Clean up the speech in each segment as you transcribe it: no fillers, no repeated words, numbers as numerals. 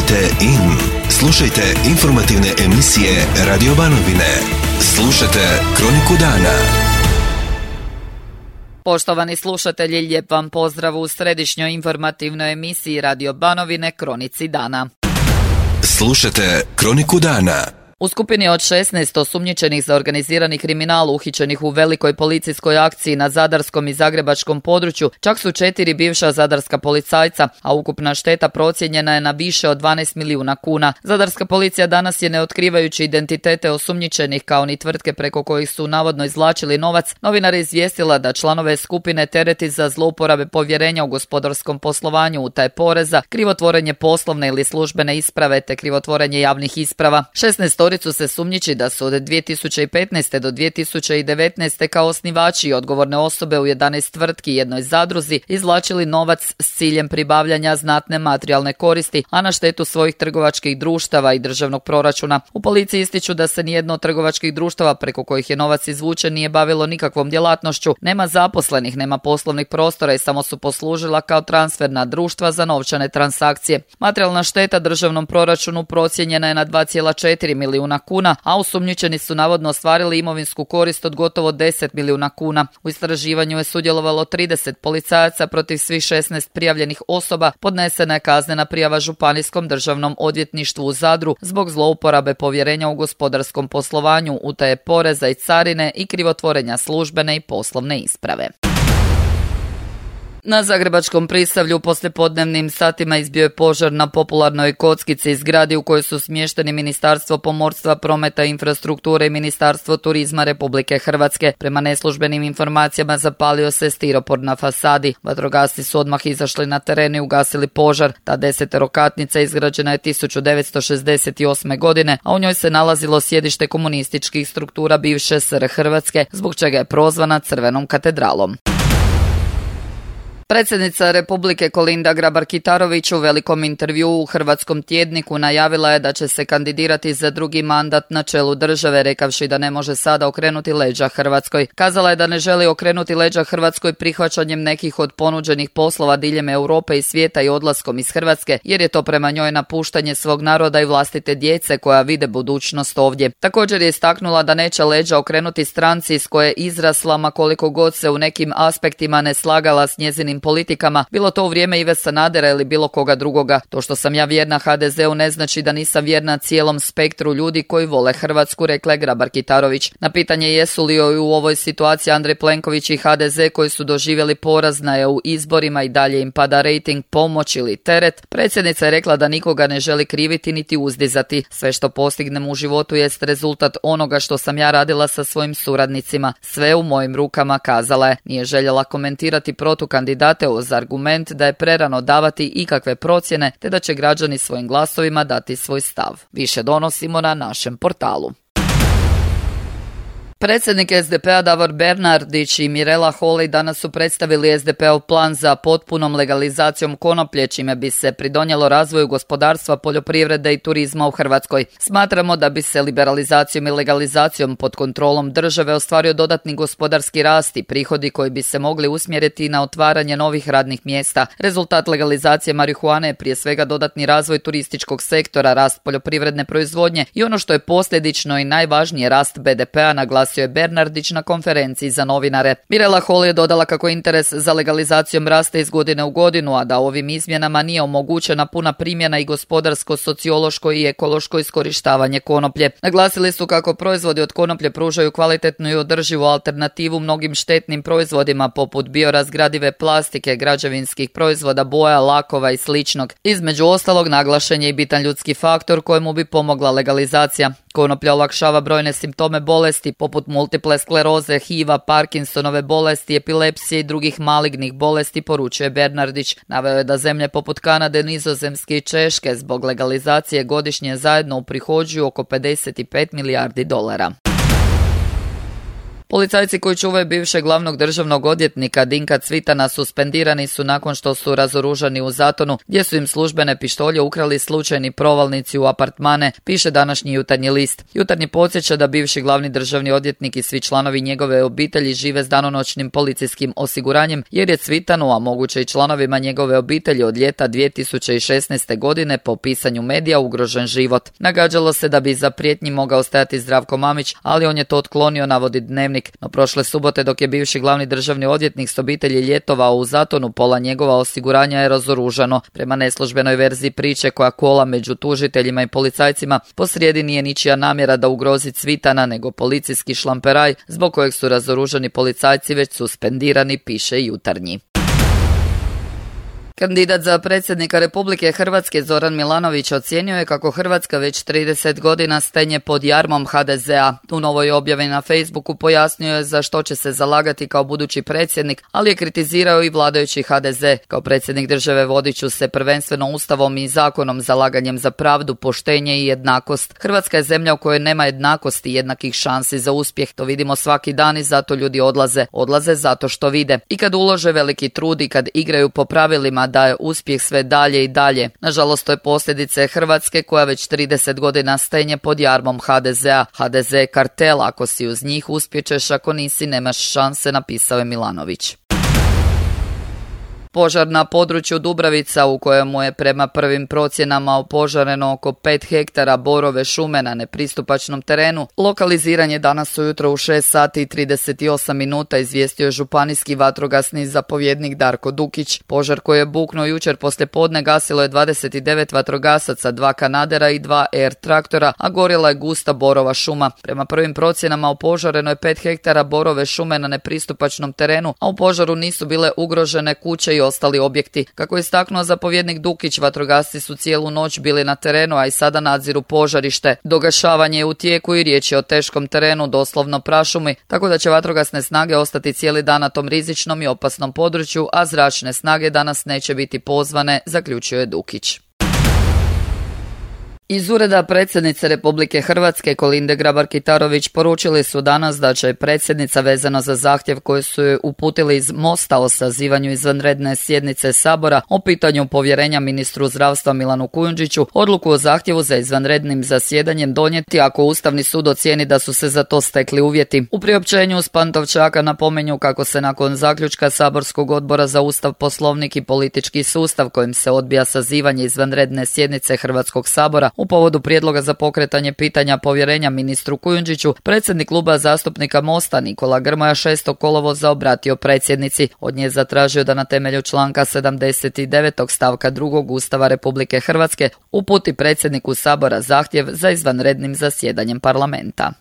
Tunite in. Slušajte informativne emisije Radio Banovine. Slušajte Kroniku dana. Poštovani slušatelji, lijep vam pozdrav u središnjoj informativnoj emisiji Radio Banovine Kronici dana. Slušajte Kroniku dana. U skupini od 16 osumnjičenih za organizirani kriminal uhićenih u velikoj policijskoj akciji na zadarskom i zagrebačkom području čak su 4 bivša zadarska policajca, a ukupna šteta procijenjena je na više od 12 milijuna kuna. Zadarska policija danas je, ne otkrivajući identitete osumnjičenih kao ni tvrtke preko kojih su navodno izvlačili novac, novinare izvijestila da članove skupine tereti za zlouporabe povjerenja u gospodarskom poslovanju, utaje poreza, krivotvorenje poslovne ili službene isprave te krivotvorenje javnih isprava. 16 se sumnjiči da su od 2015. do 2019. kao osnivači i odgovorne osobe u 11 tvrtki i jednoj zadruzi izvlačili novac s ciljem pribavljanja znatne materijalne koristi, a na štetu svojih trgovačkih društava i državnog proračuna. U policiji ističu da se nijedno od trgovačkih društava preko kojih je novac izvučen nije bavilo nikakvom djelatnošću, nema zaposlenih, nema poslovnih prostora i samo su poslužila kao transferna društva za novčane transakcije. Materijalna šteta državnom proračunu procijenjena je na 2,4 milijuna kuna, a osumnjičeni su navodno ostvarili imovinsku korist od gotovo 10 milijuna kuna. U istraživanju je sudjelovalo 30 policajaca, protiv svih 16 prijavljenih osoba podnesena je kaznena prijava Županijskom državnom odvjetništvu u Zadru zbog zlouporabe povjerenja u gospodarskom poslovanju, utaje poreza i carine i krivotvorenja službene i poslovne isprave. Na zagrebačkom Prisavlju poslijepodnevnim satima izbio je požar na popularnoj kockici, zgradi u kojoj su smješteni Ministarstvo pomorstva, prometa i infrastrukture i Ministarstvo turizma Republike Hrvatske. Prema neslužbenim informacijama zapalio se stiropor na fasadi. Vatrogasci su odmah izašli na teren i ugasili požar. Ta 10-katnica izgrađena je 1968. godine, a u njoj se nalazilo sjedište komunističkih struktura bivše SR Hrvatske, zbog čega je prozvana Crvenom katedralom. Predsjednica Republike Kolinda Grabar-Kitarović u velikom intervjuu u Hrvatskom tjedniku najavila je da će se kandidirati za drugi mandat na čelu države, rekavši da ne može sada okrenuti leđa Hrvatskoj. Kazala je da ne želi okrenuti leđa Hrvatskoj prihvaćanjem nekih od ponuđenih poslova diljem Europe i svijeta i odlaskom iz Hrvatske, jer je to prema njoj napuštanje svog naroda i vlastite djece koja vide budućnost ovdje. Također je istaknula da neće leđa okrenuti stranci iz koje je izrasla, ma koliko god se u nekim aspektima ne slagala s njezinim politikama, bilo to u vrijeme Ive Sanadera ili bilo koga drugoga. To što sam ja vjerna HDZ-u ne znači da nisam vjerna cijelom spektru ljudi koji vole Hrvatsku, rekla je Grabar-Kitarović. Na pitanje jesu li u ovoj situaciji Andrej Plenković i HDZ koji su doživjeli poraz na EU izborima i dalje im pada rejting, pomoć ili teret, predsjednica je rekla da nikoga ne želi kriviti niti uzdizati. Sve što postignem u životu jest rezultat onoga što sam ja radila sa svojim suradnicima. Sve u mojim rukama, kazala je. Nije željela komentirati protukandidate uz argument da je prerano davati ikakve procjene te da će građani svojim glasovima dati svoj stav. Više donosimo na našem portalu. Predsjednik SDP-a Davor Bernardić i Mirela Holy danas su predstavili SDP-ov plan za potpunom legalizacijom konoplje, čime bi se pridonijelo razvoju gospodarstva, poljoprivrede i turizma u Hrvatskoj. Smatramo da bi se liberalizacijom i legalizacijom pod kontrolom države ostvario dodatni gospodarski rast i prihodi koji bi se mogli usmjeriti na otvaranje novih radnih mjesta. Rezultat legalizacije marihuane je prije svega dodatni razvoj turističkog sektora, rast poljoprivredne proizvodnje i ono što je posljedično i najvažnije, rast BDP-a, naglasio je Bernardić na konferenciji za novinare. Mirela Holy je dodala kako interes za legalizacijom raste iz godine u godinu, a da ovim izmjenama nije omogućena puna primjena i gospodarsko, sociološko i ekološko iskorištavanje konoplje. Naglasili su kako proizvodi od konoplje pružaju kvalitetnu i održivu alternativu mnogim štetnim proizvodima poput biorazgradive plastike, građevinskih proizvoda, boja, lakova i sličnog. Između ostalog, naglašen je i bitan ljudski faktor kojemu bi pomogla legalizacija. Konoplja olakšava brojne simptome bolesti poput multiple skleroze, HIV-a, Parkinsonove bolesti, epilepsije i drugih malignih bolesti, poručuje Bernardić. Naveo je da zemlje poput Kanade, Nizozemske i Češke zbog legalizacije godišnje zajedno uprihođuju oko $55 milijardi. Policajci koji čuvaju bivšeg glavnog državnog odvjetnika Dinka Cvitana suspendirani su nakon što su razoružani u Zatonu, gdje su im službene pištolje ukrali slučajni provalnici u apartmane, piše današnji Jutarnji list. Jutarnji podsjeća da bivši glavni državni odvjetnik i svi članovi njegove obitelji žive s danonoćnim policijskim osiguranjem, jer je Cvitanu, a moguće i članovima njegove obitelji od ljeta 2016. godine po pisanju medija ugrožen život. Nagađalo se da bi za prijetnji mogao stajati Zdravko Mamić, ali on je to otklonio, navodi Dnevnik. No prošle subote, dok je bivši glavni državni odvjetnik s obitelji ljetovao u Zatonu, pola njegova osiguranja je razoružano. Prema neslužbenoj verziji priče koja kola među tužiteljima i policajcima, posrijedi nije ničija namjera da ugrozi Cvitana, nego policijski šlamperaj zbog kojeg su razoružani policajci već suspendirani, piše Jutarnji. Kandidat za predsjednika Republike Hrvatske Zoran Milanović ocijenio je kako Hrvatska već 30 godina stenje pod jarmom HDZ-a. U novoj objavi na Facebooku pojasnio je za što će se zalagati kao budući predsjednik, ali je kritizirao i vladajući HDZ. Kao predsjednik države vodit ću se prvenstveno ustavom i zakonom, zalaganjem za pravdu, poštenje i jednakost. Hrvatska je zemlja u kojoj nema jednakosti i jednakih šansi za uspjeh. To vidimo svaki dan i zato ljudi odlaze. Odlaze zato što vide. I kad ulože veliki trud i kad igraju po pravilima, da je uspjeh sve dalje i dalje. Nažalost, to je posljedice Hrvatske koja već 30 godina stenje pod jarmom HDZ-a. HDZ je kartel, ako si uz njih uspjećeš, ako nisi nemaš šanse, napisao je Milanović. Požar na području Dubravica, u kojemu je prema prvim procjenama opožareno oko 5 hektara borove šume na nepristupačnom terenu, lokaliziran je danas ujutro u 6 sati i 38 minuta, izvijestio je županijski vatrogasni zapovjednik Darko Dukić. Požar koji je buknuo jučer poslijepodne gasilo je 29 vatrogasaca, 2 kanadera i 2 air traktora, a gorjela je gusta borova šuma. Prema prvim procjenama opožareno je 5 hektara borove šume na nepristupačnom terenu, a u požaru nisu bile ugrožene kuće i ostali objekti. Kako je istaknuo zapovjednik Dukić, vatrogasci su cijelu noć bili na terenu, a i sada nadziru požarište. Dogašavanje je u tijeku i riječ je o teškom terenu, doslovno prašumi, tako da će vatrogasne snage ostati cijeli dan na tom rizičnom i opasnom području, a zračne snage danas neće biti pozvane, zaključio je Dukić. Iz ureda predsjednice Republike Hrvatske Kolinde Grabar-Kitarović poručili su danas da će predsjednica vezano za zahtjev koji su joj uputili iz Mosta o sazivanju izvanredne sjednice Sabora o pitanju povjerenja ministru zdravstva Milanu Kujundžiću odluku o zahtjevu za izvanrednim zasjedanjem donijeti ako Ustavni sud ocijeni da su se za to stekli uvjeti. U priopćenju s Pantovčaka napominju kako se nakon zaključka Saborskog odbora za Ustav, Poslovnik i politički sustav kojim se odbija sazivanje izvanredne sjednice Hrvatskog sabora u povodu prijedloga za pokretanje pitanja povjerenja ministru Kujundžiću, predsjednik kluba zastupnika Mosta Nikola Grmoja 6. kolovoza obratio predsjednici. Od nje zatražio da na temelju članka 79. stavka 2. Ustava Republike Hrvatske uputi predsjedniku Sabora zahtjev za izvanrednim zasjedanjem parlamenta.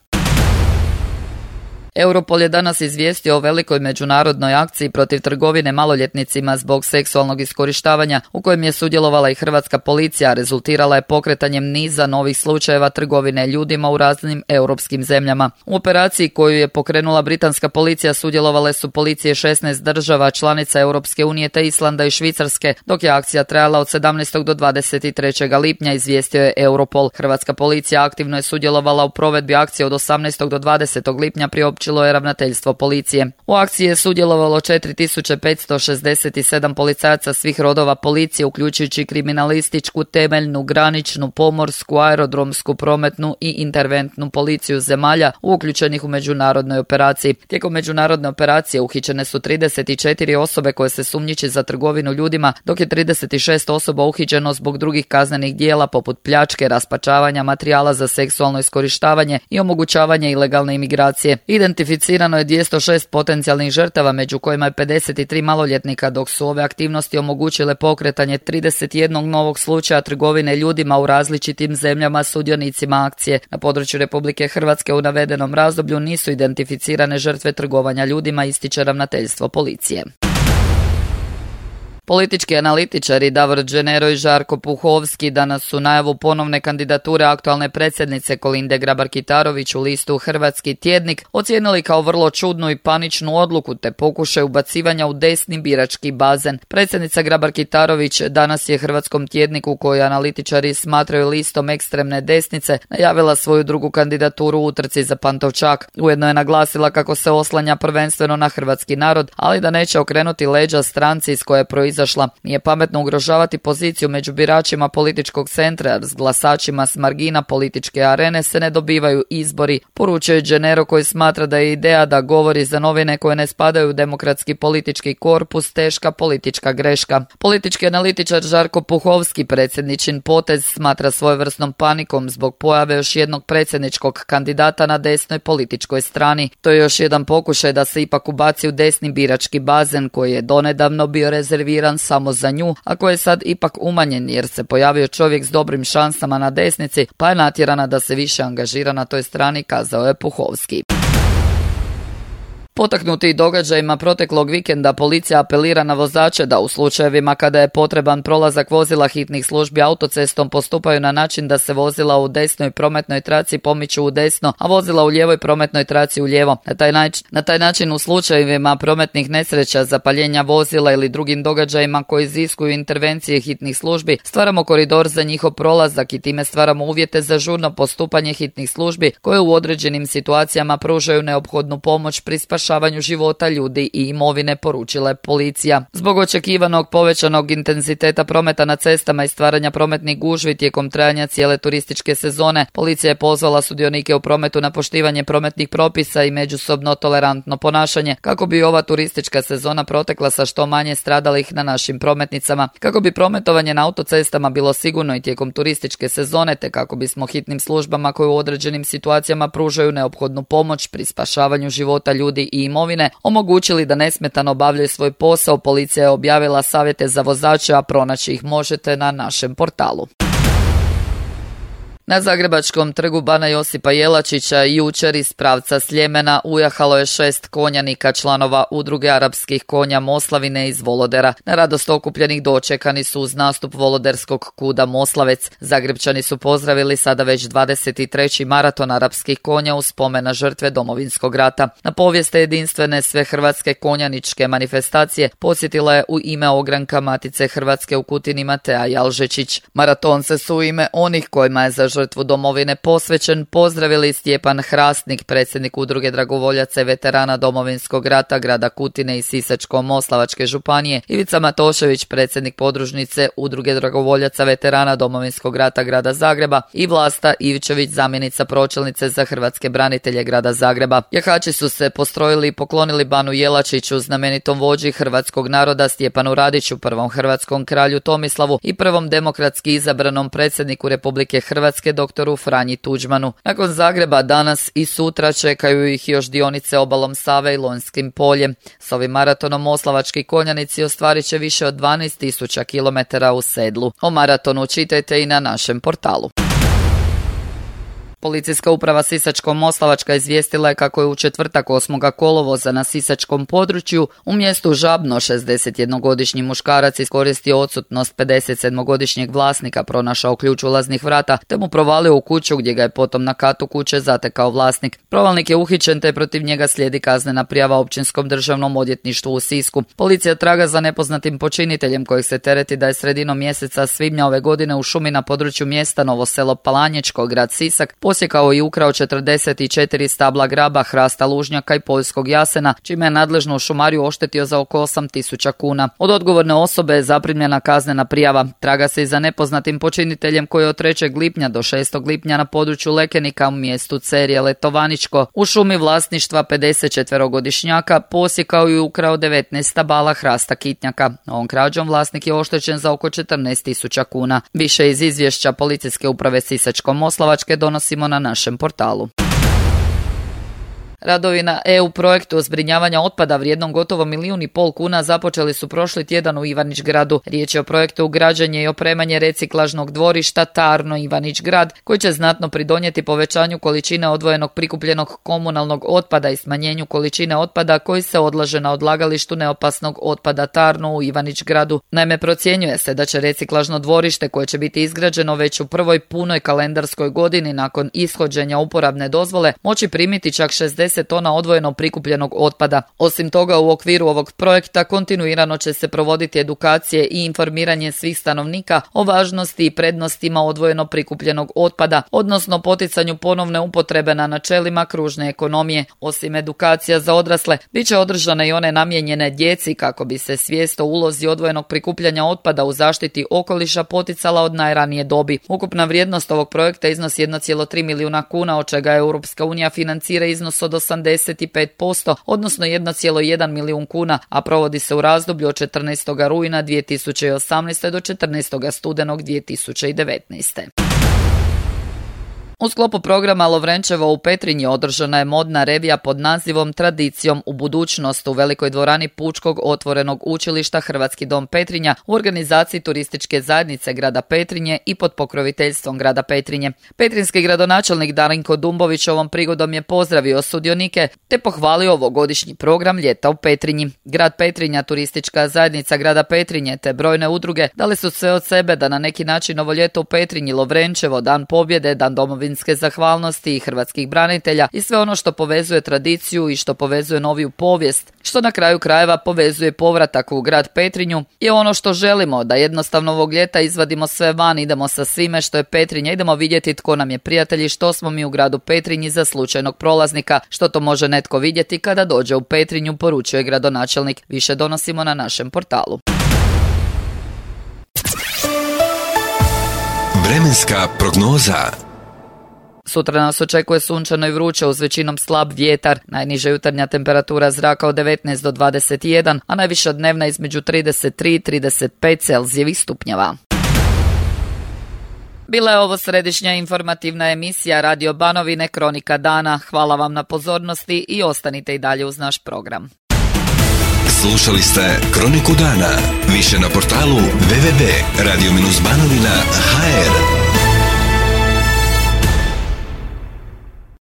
Europol je danas izvijestio o velikoj međunarodnoj akciji protiv trgovine maloljetnicima zbog seksualnog iskorištavanja u kojem je sudjelovala i hrvatska policija, a rezultirala je pokretanjem niza novih slučajeva trgovine ljudima u raznim europskim zemljama. U operaciji koju je pokrenula britanska policija sudjelovale su policije 16 država članica Europske unije te Islanda i Švicarske, dok je akcija trajala od 17. do 23. lipnja, izvijestio je Europol. Hrvatska policija aktivno je sudjelovala u provedbi akcije od 18. do 20. lipnja, priopćilo je ravnateljstvo policije. U akciji je sudjelovalo 4567 policajaca svih rodova policije, uključujući kriminalističku, temeljnu, graničnu, pomorsku, aerodromsku, prometnu i interventnu policiju zemalja uključenih u međunarodnoj operaciji. Tijekom međunarodne operacije uhićene su 34 osobe koje se sumnjiči za trgovinu ljudima, dok je 36 osoba uhićeno zbog drugih kaznenih dijela poput pljačke, raspačavanja materijala za seksualno iskorištavanje i omogućavanje ilegalne imigracije. Identificirano je 206 potencijalnih žrtava, među kojima je 53 maloljetnika, dok su ove aktivnosti omogućile pokretanje 31 novog slučaja trgovine ljudima u različitim zemljama sudionicima akcije. Na području Republike Hrvatske u navedenom razdoblju nisu identificirane žrtve trgovanja ljudima, ističe ravnateljstvo policije. Politički analitičari Davor Dženero i Žarko Puhovski danas su najavu ponovne kandidature aktualne predsjednice Kolinde Grabar-Kitarović u listu Hrvatski tjednik ocijenili kao vrlo čudnu i paničnu odluku te pokušaj ubacivanja u desni birački bazen. Predsjednica Grabar-Kitarović danas je Hrvatskom tjedniku, koji analitičari smatraju listom ekstremne desnice, najavila svoju drugu kandidaturu u utrci za Pantovčak. Ujedno je naglasila kako se oslanja prvenstveno na hrvatski narod, ali da neće okrenuti leđa stranci iz koje je proizašla. Nije pametno ugrožavati poziciju među biračima političkog centra, jer s glasačima s margina političke arene se ne dobivaju izbori, poručuje Dženero, koji smatra da je ideja da govori za novine koje ne spadaju u demokratski politički korpus teška politička greška. Politički analitičar Žarko Puhovski predsjedničin potez smatra svojevrsnom panikom zbog pojave još jednog predsjedničkog kandidata na desnoj političkoj strani. To je još jedan pokušaj da se ipak ubaci u desni birački bazen, koji je donedavno bio rezerviran samo za nju, a koji je sad ipak umanjen jer se pojavio čovjek s dobrim šansama na desnici, pa je natjerana da se više angažira na toj strani, kazao je Puhovski. Potaknuti događajima proteklog vikenda, policija apelira na vozače da u slučajevima kada je potreban prolazak vozila hitnih službi autocestom postupaju na način da se vozila u desnoj prometnoj traci pomiču u desno, a vozila u lijevoj prometnoj traci u lijevo. Na taj način u slučajevima prometnih nesreća, zapaljenja vozila ili drugim događajima koji iziskuju intervencije hitnih službi, stvaramo koridor za njihov prolazak i time stvaramo uvjete za žurno postupanje hitnih službi koje u određenim situacijama pružaju neophodnu pomoć pri spašavanju života ljudi i imovine, poručila je policija. Zbog očekivanog povećanog intenziteta prometa na cestama i stvaranja prometnih gužvi tijekom trajanja cijele turističke sezone, policija je pozvala sudionike u prometu na poštivanje prometnih propisa i međusobno tolerantno ponašanje kako bi ova turistička sezona protekla sa što manje stradalih na našim prometnicama, kako bi prometovanje na autocestama bilo sigurno i tijekom turističke sezone, te kako bismo hitnim službama koje u određenim situacijama pružaju neophodnu pomoć pri spašavanju života ljudi i imovine omogućili da nesmetano obavljaju svoj posao. Policija je objavila savjete za vozače, a pronaći ih možete na našem portalu. Na Zagrebačkom trgu Bana Josipa Jelačića jučer iz pravca Sljemena ujahalo je 6 konjanika članova udruge arapskih konja Moslavine iz Volodera. Na radost okupljenih dočekani su uz nastup voloderskog kuda Moslavec. Zagrebčani su pozdravili sada već 23. maraton arapskih konja u spomen na žrtve Domovinskog rata. Na povijest jedinstvene sve hrvatske konjaničke manifestacije posjetila je u ime ogranka Matice Hrvatske u Kutini Matea Jalžečić. Maraton se su u ime onih kojima je za žrtvu domovine posvećen pozdravili Stjepan Hrastnik, predsjednik udruge dragovoljaca i veterana Domovinskog rata grada Kutine i Sisačko-moslavačke županije, Ivica Matošević, predsjednik podružnice udruge dragovoljaca veterana Domovinskog rata grada Zagreba i Vlasta Ivčević, zamjenica pročelnice za hrvatske branitelje grada Zagreba. Jahači su se postrojili i poklonili Banu Jelačiću, znamenitom vođi hrvatskog naroda Stjepanu Radiću, prvom hrvatskom kralju Tomislavu i prvom demokratski izabranom predsjedniku Republike Hrvatske doktoru Franji Tuđmanu. Nakon Zagreba danas i sutra čekaju ih još dionice obalom Save i Lonjskim poljem. S ovim maratonom moslavački konjanici ostvarit će više od 12.000 km u sedlu. O maratonu čitajte i na našem portalu. Policijska uprava Sisačko-moslavačka izvijestila je kako je u četvrtak 8. kolovoza na sisačkom području u mjestu Žabno 61-godišnji muškarac iskoristio odsutnost 57-godišnjeg vlasnika, pronašao ključ ulaznih vrata te mu provalio u kuću gdje ga je potom na katu kuće zatekao vlasnik. Provalnik je uhićen te protiv njega slijedi kaznena prijava Općinskom državnom odvjetništvu u Sisku. Policija traga za nepoznatim počiniteljem kojeg se tereti da je sredinom mjeseca svibnja ove godine u šumi na području mjesta Novo Selo Palanječko, grad Sisak, posjekao i ukrao 44 stabla graba, hrasta lužnjaka i poljskog jasena, čime je nadležnu šumariju oštetio za oko 8.000 kuna. Od odgovorne osobe je zaprimljena kaznena prijava. Traga se i za nepoznatim počiniteljem koji je od 3. lipnja do 6. lipnja na području Lekenika u mjestu Cerje Letovaničko u šumi vlasništva 54-godišnjaka posjekao i ukrao 19 stabala hrasta kitnjaka. Ovom krađom vlasnik je oštećen za oko 14.000 kuna. Više iz izvješća Policijske uprave Sisačko-moslavačke donosimo na našem portalu. Radovi na EU projektu zbrinjavanja otpada vrijednom gotovo 1,5 milijuna kuna započeli su prošli tjedan u Ivanić-Gradu. Riječ je o projektu građenje i opremanje reciklažnog dvorišta Tarno Ivanić-Grad, koji će znatno pridonijeti povećanju količine odvojenog prikupljenog komunalnog otpada i smanjenju količine otpada koji se odlaže na odlagalištu neopasnog otpada Tarno u Ivanić-Gradu. Naime, procjenjuje se da će reciklažno dvorište koje će biti izgrađeno već u prvoj punoj kalendarskoj godini nakon ishođenja uporabne dozvole moći primiti čak 60 tona odvojeno prikupljenog otpada. Osim toga, u okviru ovog projekta kontinuirano će se provoditi edukacije i informiranje svih stanovnika o važnosti i prednostima odvojeno prikupljenog otpada, odnosno poticanju ponovne upotrebe na načelima kružne ekonomije. Osim edukacija za odrasle, bit će održane i one namijenjene djeci kako bi se svijest o ulozi odvojenog prikupljanja otpada u zaštiti okoliša poticala od najranije dobi. Ukupna vrijednost ovog projekta iznosi 1,3 milijuna kuna, od čega Europska unija financira iznos od 85%, odnosno 1,1 milijun kuna, a provodi se u razdoblju od 14. rujna 2018. do 14. studenog 2019. U sklopu programa Lovrenčevo u Petrinji održana je modna revija pod nazivom Tradicijom u budućnost u velikoj dvorani Pučkog otvorenog učilišta Hrvatski dom Petrinja u organizaciji turističke zajednice grada Petrinje i pod pokroviteljstvom grada Petrinje. Petrinjski gradonačelnik Darinko Dumbović ovom prigodom je pozdravio sudionike te pohvalio ovogodišnji program Ljeta u Petrinji. Grad Petrinja, turistička zajednica grada Petrinje te brojne udruge dali su sve od sebe da na neki način ovo ljeto u Petrinji, Lovrenčevo, Dan pobjede, Dan domovinske zahvalnosti i hrvatskih branitelja i sve ono što povezuje tradiciju i što povezuje noviju povijest, što na kraju krajeva povezuje povratak u grad Petrinju, je ono što želimo, da jednostavno ovog ljeta izvadimo sve van, idemo sa svime što je Petrinja, idemo vidjeti tko nam je prijatelj i što smo mi u gradu Petrinji za slučajnog prolaznika, što to može netko vidjeti kada dođe u Petrinju, poručuje gradonačelnik. Više donosimo na našem portalu. Vremenska prognoza. Sutra nas očekuje sunčano i vruće uz većinom slab vjetar. Najniža jutarnja temperatura zraka od 19 do 21, a najviša dnevna između 33 i 35 Celzijevih stupnjeva. Bila je ovo središnja informativna emisija Radio Banovine Kronika dana. Hvala vam na pozornosti i ostanite i dalje uz naš program. Slušali ste Kroniku dana. Više na portalu www.radio-banovina.hr.